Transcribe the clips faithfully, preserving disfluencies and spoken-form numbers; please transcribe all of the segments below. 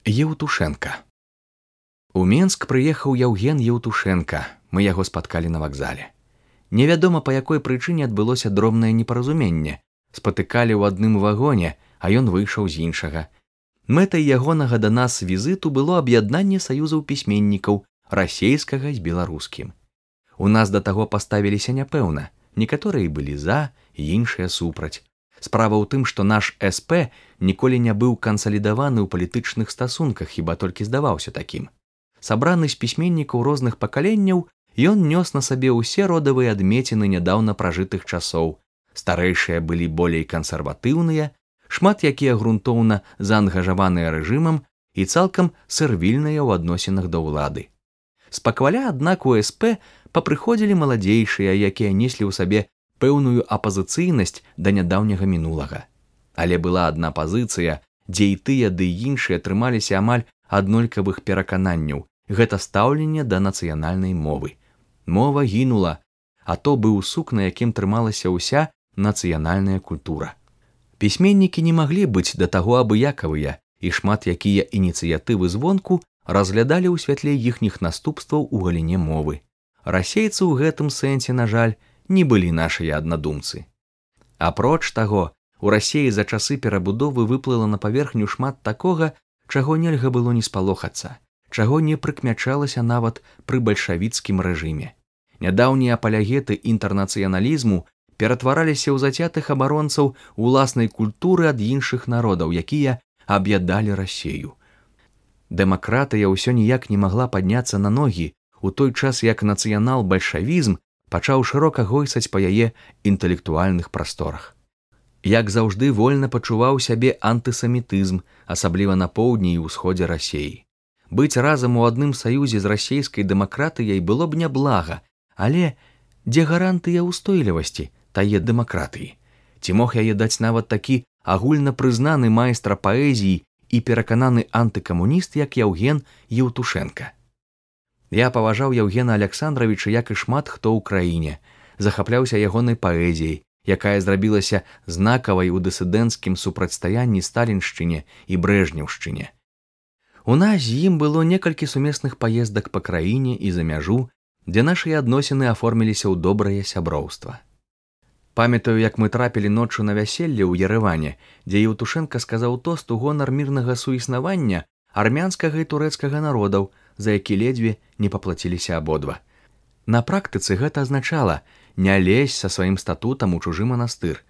Еўтушенка. У Менск прыехаў Яўген Еўтушенка, мы яго спаткалі на вакзале. Невядома, па якой прычыне адбылося дробнае непаразуменне. Спатыкалі ў адным вагоне, а ён выйшаў з іншага. Мэтай ягонага да нас візіту было аб'яднанне саюзаў пісьменнікаў расейскага з беларускім. У нас да таго паставіліся няпэўна, некаторыя былі за, іншыя супраць. Справа ў тым, што наш эс пэ ніколі не быў кансалідаваны ў палітычных стасунках, хіба толькі здаваўся такім. Сабраны з пісьменнікаў розных пакаленняў, ён нёс на сабе ўсе родавыя адмеціны нядаўна пражытых часоў. Старэйшыя былі болей кансерватыўныя, шмат якія грунтоўна заангажаваныя рэжымам і цалкам сэрвільныя ў адносінах да ўлады. Спакваля, аднак, у эс пэ папрыходзілі маладзейшыя, якія неслі ў сабе пэўную апазіцыйнасць да нядаўняга мінулага. Але была адна пазіцыя, дзе і тыя, ды і іншыя трымаліся амаль аднолькавых перакананняў. Гэта стаўленне да нацыянальнай мовы. Мова гінула, а то быў сук, на якім трымалася ўся нацыянальная культура. Пісьменнікі не маглі быць да таго абыякавыя, і шмат якія ініцыятывы звонку разглядалі ў святле іхніх наступстваў у галіне мовы. Расейцы ў гэтым сэнсе, на жаль, не былі нашыя аднадумцы. Апроч таго, у Расеі за часы перабудовы выплыла на паверхню шмат такога, чаго нельга было не спалохацца, чаго не прыкмячалася нават пры бальшавіцкім рэжыме. Нядаўнія апалягеты інтэрнацыяналізму ператвараліся ў зацятых абаронцаў уласнай культуры ад іншых народаў, якія аб'ядалі Расею. Дэмакратыя ўсё ніяк не магла падняцца на ногі, у той час як нацыянал-бальшавізм пачаў шырока гойсаць па яе інтэлектуальных прасторах. Як заўжды вольна пачуваў сябе антысамітызм, асабліва на поўдні і ўсходзе Расеі. Быць разам у адным саюзе з расейскай дэмакратыяй было б няблага, але дзе гарантыя ўстойлівасці тае дэмакратыі? Ці мог яе даць нават такі агульнапрызнаны майстра паэзіі і перакананы антыкамуніст, як Яўген Еўтушенка? Я паважаў Яўгена Аляксандравіча, як і шмат хто ў краіне, захапляўся ягонай паэзіяй, якая зрабілася знакавай у дысідэнцкім супрацьстаянні сталіншчыне і брэжнеўшчыне. У нас з ім было некалькі сумесных паездак па краіне і за мяжу, дзе нашыя адносіны аформіліся ў добрае сяброўства. Памятаю, як мы трапілі ноччу на вяселле ў Ерэване, дзе Еўтушенка сказаў тост у гонар мірнага суіснавання армянскага і турэцкага народаў, за які ледзьве не паплаціліся абодва. На практыцы гэта азначала не лезь са сваім статутам у чужы манастыр.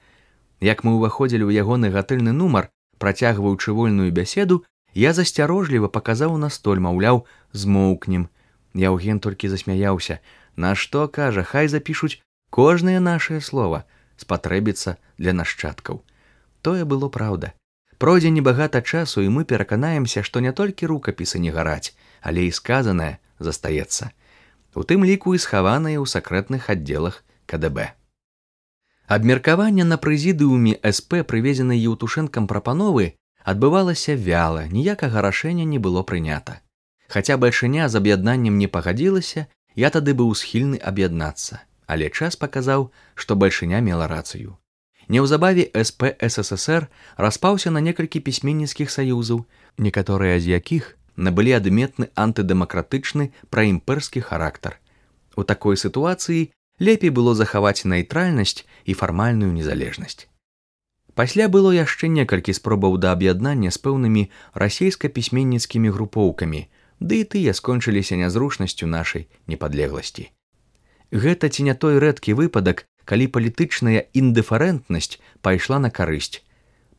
Як мы ўваходзілі ў ягоны гатэльны нумар, працягваючы вольную бяседу, я засцярожліва паказаў на столь, маўляў, змоўкнем. Яўген толькі засмяяўся. На што, кажа, хай запішуць кожнае нашае слова, спатрэбіцца для нашчадкаў. Тое было праўда. Пройдзе небагата часу, і мы пераканаемся, што не толькі рукапісы не гараць, але і сказанае застаецца. У тым ліку і схаванае ў сакрэтных аддзелах ка дэ бэ. Абмеркаванне на прэзідыуме эс пэ прывезенай Еўтушэнкам прапановы адбывалася вяла, ніякага рашэння не было прынята. Хаця бальшыня з аб'яднаннем не пагадзілася, я тады быў схільны аб'яднацца, але час паказаў, што бальшыня мела рацыю. Неўзабаве эс пэ эс эс эс эр распаўся на некалькі пісьменніцкіх саюзаў, некаторыя з якіх набылі адметны антыдэмакратычны праімперскі характар. У такой сітуацыі лепей было захаваць нейтральнасць і фармальную незалежнасць. Пасля было яшчэ некалькі спробаў да аб'яднання з пэўнымі расейска-пісьменніцкімі групоўкамі, ды і тыя скончыліся нязручнасцю нашай непадлегласці. Гэта ці не той рэдкі выпадак, калі палітычная індыферэнтнасць пайшла на карысць.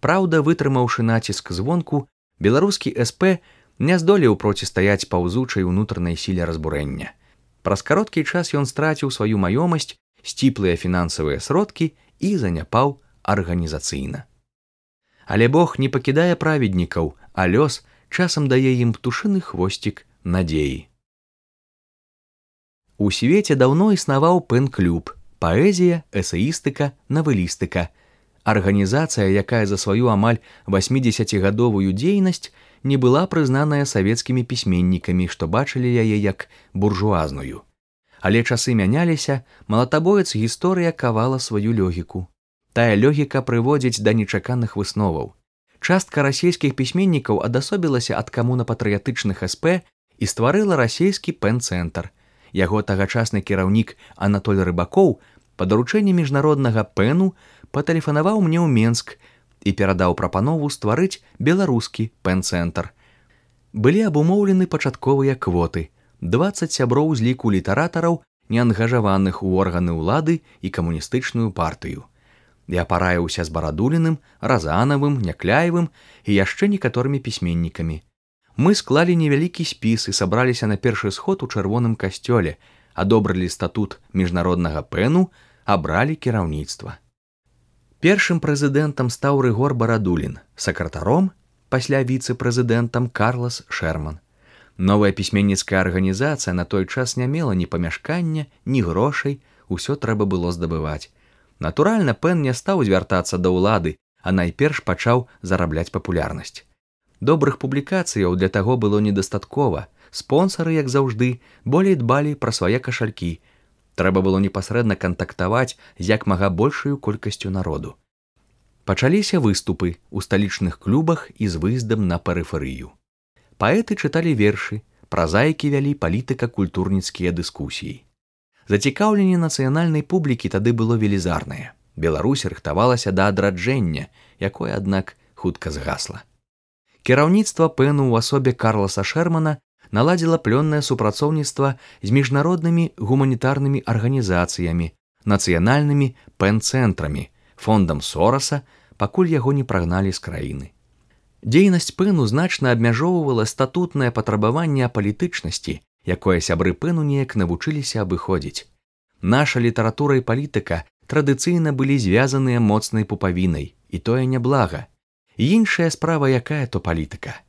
Праўда, вытрымаўшы націск звонку, беларускі эс пэ не здолеў процістаяць паўзучай унутранай сіле разбурэння. Праз кароткі час ён страціў сваю маёмасць, сціплыя фінансавыя сродкі і заняпаў арганізацыйна. Але Бог не пакідае праведнікаў, а лёс часам дае ім птушыны хвосцік надзеі. У свеце даўно існаваў пэн-клуб, паэзія, эсеістыка, навелістыка. Арганізацыя, якая за сваю амаль васьмідзесяцігадовую дзейнасць не была прызнаная савецкімі пісьменнікамі, што бачылі яе як буржуазную. Але часы мяняліся, малатабоец гісторыя кавала сваю лёгіку. Тая лёгіка прыводзіць да нечаканых высноваў. Частка расійскіх пісьменнікаў адасобілася ад камунапатрыятычных СП і стварыла расійскі пэн-цэнтр. Яго тагачасны кіраўнік Анатоль Рыбакоў па даручэнні міжнароднага пэну патэлефанаваў мне ў Менск і перадаў прапанову стварыць беларускі пэн-цэнтр. Былі абумоўлены пачатковыя квоты, дваццаць сяброў з ліку літаратараў, неангажаваных у органы ўлады і камуністычную партыю. Я параіўся з Барадуліным, Разанавым, Някляевым і яшчэ некаторымі пісьменнікамі. Мы склалі невялікі спіс і сабраліся на першы сход у чырвоным касцёле, адобрылі статут міжнароднага пэну, абралі кіраўніцтва. Першым прэзідэнтам стаў Рыгор Барадулін, сакратаром, пасля віцэ-прэзідэнтам Карлас Шэрман. Новая пісьменніцкая арганізацыя на той час не мела ні памяшкання, ні грошай, усё трэба было здабываць. Натуральна, пэн не стаў звяртацца да ўлады, а найперш пачаў зарабляць папулярнасць. Добрых публікацыяў для таго было недастаткова, спонсары, як заўжды, болей дбалі пра свае кашалькі. Трэба было непасрэдна кантактаваць з як мага большаю колькасцю народу. Пачаліся выступы ў сталічных клубах і з выездам на перыферыю. Паэты чыталі вершы, празаікі вялі палітыка-культурніцкія дыскусіі. Зацікаўленне нацыянальнай публікі тады было велізарнае. Беларусь рыхтавалася да адраджэння, якое, аднак, хутка згасла. Кіраўніцтва пэну ў асобе Карласа Шэрмана наладзіла плённае супрацоўніцтва з міжнароднымі гуманітарнымі арганізацыямі, нацыянальнымі пэн-цэнтрамі, фондам Сораса, пакуль яго не прагналі з краіны. Дзейнасць пэну значна абмяжоўвала статутнае патрабаванне апалітычнасці, якое сябры пэну неяк навучыліся абыходзіць. Наша літаратура і палітыка традыцыйна былі звязаныя моцнай пупавінай, і тое няблага. Іншая справа, якая то палітыка.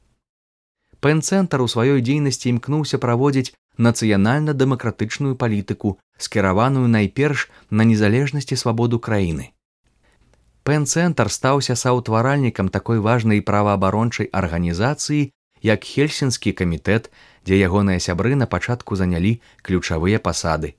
Пэн-цэнтр у сваёй дзейнасці імкнуўся праводзіць нацыянальна-дэмакратычную палітыку, скіраваную найперш на незалежнасць і свабоду краіны. Пэн-цэнтр стаўся саўтваральнікам такой важнай праваабарончай арганізацыі, як Хельсінскі камітэт, дзе ягоныя сябры на пачатку занялі ключавыя пасады.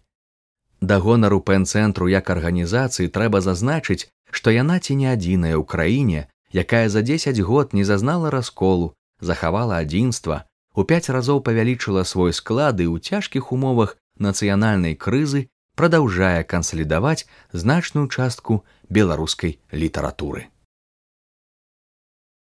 Да гонару пэн-цэнтру як арганізацыі трэба зазначыць, што яна ці не адзіная ў краіне, якая за дзесяць год не зазнала расколу, захавала адзінства, у пяць разоў павялічыла свой склад і ў цяжкіх умовах нацыянальнай крызы прадаўжае кансалідаваць значную частку беларускай літаратуры.